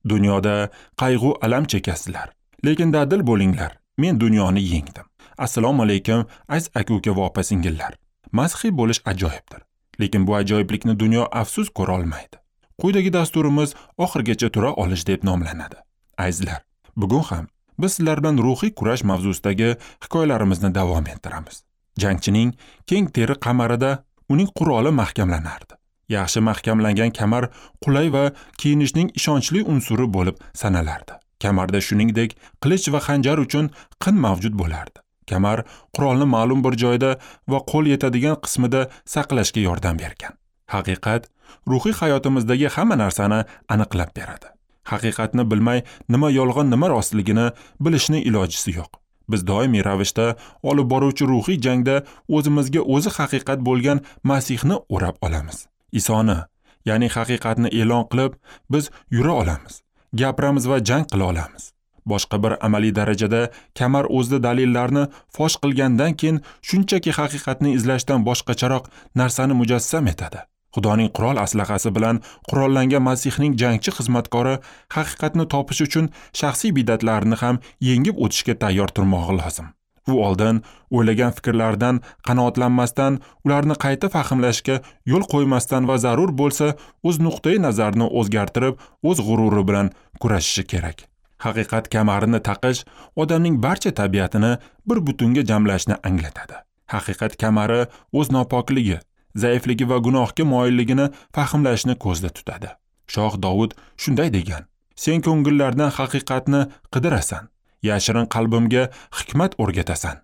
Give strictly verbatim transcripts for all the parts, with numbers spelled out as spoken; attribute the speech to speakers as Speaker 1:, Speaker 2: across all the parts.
Speaker 1: Dunyoda qayg'u alam chekasizlar, lekin dadil bo'linglar, men dunyoni yengdim. Assalomu alaykum, aziz aka-uka va opa-singillar. Masihiy bo'lish ajoyibdir, lekin bu ajoyiblikni dunyo afsus ko'ra olmaydi. Quyidagi dasturimiz oxirgacha tura olish deb nomlanadi. Azizlar, bugun ham biz sizlar bilan ruhiy kurash mavzusidagi hikoyalarimizni davom ettiramiz. Jangchining keng teri qamarida uning quroli mahkamlanardi. Yaxshi mahkamlangan kamar qulay va kiyinishning ishonchli unsuri bo'lib sanalardi. Kamarda shuningdek qilich va xanjar uchun qin mavjud bo'lardi. Kamar qurolni ma'lum bir joyda va qo'l yetadigan qismida saqlashga yordam bergan. Haqiqat ruhiy hayotimizdagi hamma narsani aniqlab beradi. Haqiqatni bilmay nima yolg'on, nima rostligini bilishning ilojisi yo'q. Biz doimiy ravishda olib boruvchi ruhiy jangda o'zimizga o'zi haqiqat bo'lgan Masihni o'rab olamiz. Isoni, ya'ni haqiqatni e'lon qilib, biz yura olamiz, gapiramiz va jang qila olamiz. Boshqa bir amaliy darajada kamar o'zida dalillarni fosh qilgandan keyin shunchaki haqiqatni izlashdan boshqacharoq narsani mujassam etadi. Xudoning qurol aslahasi bilan qurollangan Masihning jangchi xizmatkori haqiqatni topish uchun shaxsiy bidatlarini ham yengib o'tishga tayyor turmog'i lozim. U oldin o'ylagan fikrlardan qanoatlanmasdan, ularni qayta fahmlashga yo'l qo'ymasdan va zarur bo'lsa o'z nuqtai nazarini o'zgartirib, o'z g'ururi bilan kurashishi kerak. Haqiqat kamarini taqish odamning barcha tabiatini bir butunga jamlashni anglatadi. Haqiqat kamari o'z nopokligi, zaifligi va gunohga moyilligini fahmlashni ko'zda tutadi. Shoh Dovud shunday degan: "Sen ko'ngillardan haqiqatni qidirasan, yashirin qalbimga hikmat o'rgatasan."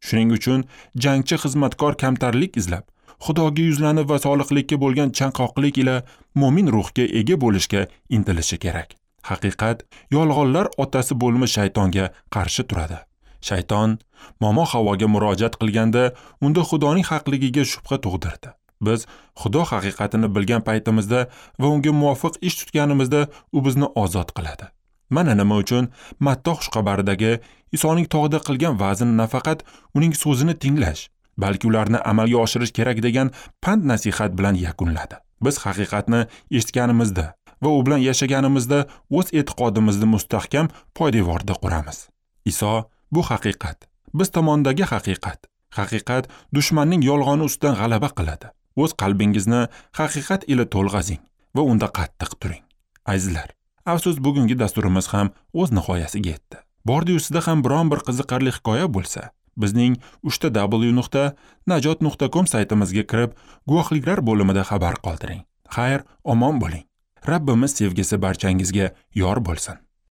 Speaker 1: Shuning uchun jangchi xizmatkor kamtarlik izlab, Xudoga yuzlanib va soliqlikka bo'lgan chanqoqlik ila mo'min ruhga ega bo'lishga intilishi kerak. Haqiqat yolg'onlar otasi bo'lmish shaytonga qarshi turadi. Shayton momo Havoga murojaat qilganda unda Xudoning haqligiga shubha tug'dirdi. Biz Xudo haqiqatini bilgan paytimizda va unga muvofiq ish tutganimizda u bizni ozod qiladi. Mana nima uchun Matta xushxabaridagi Isoning tog'da qilgan va'zini nafaqat uning so'zini tinglash, balki ularni amalga oshirish kerak degan pand nasihat bilan yakunladi. Biz haqiqatni eshitganimizda va u bilan yashaganimizda o'z e'tiqodimizni mustahkam poydevorda quramiz. Iso bu haqiqat, biz tomondagi haqiqat. Haqiqat dushmanning yolg'oni ustidan g'alaba qiladi. O'z qalbingizni haqiqat ila to'lg'azing va unda qattiq turing. Azizlar, afsus bugungi dasturimiz ham o'z nihoyasiga yetdi. Bordi-yu sizda ham biron bir qiziqarli hikoya bo'lsa, bizning uchta w nuqta najot nuqta com saytimizga kirib, guvohliklar bo'limida xabar qoldiring. Xayr, omon bo'ling. Rabbimiz sevgisi barchangizga yor bo'lsin.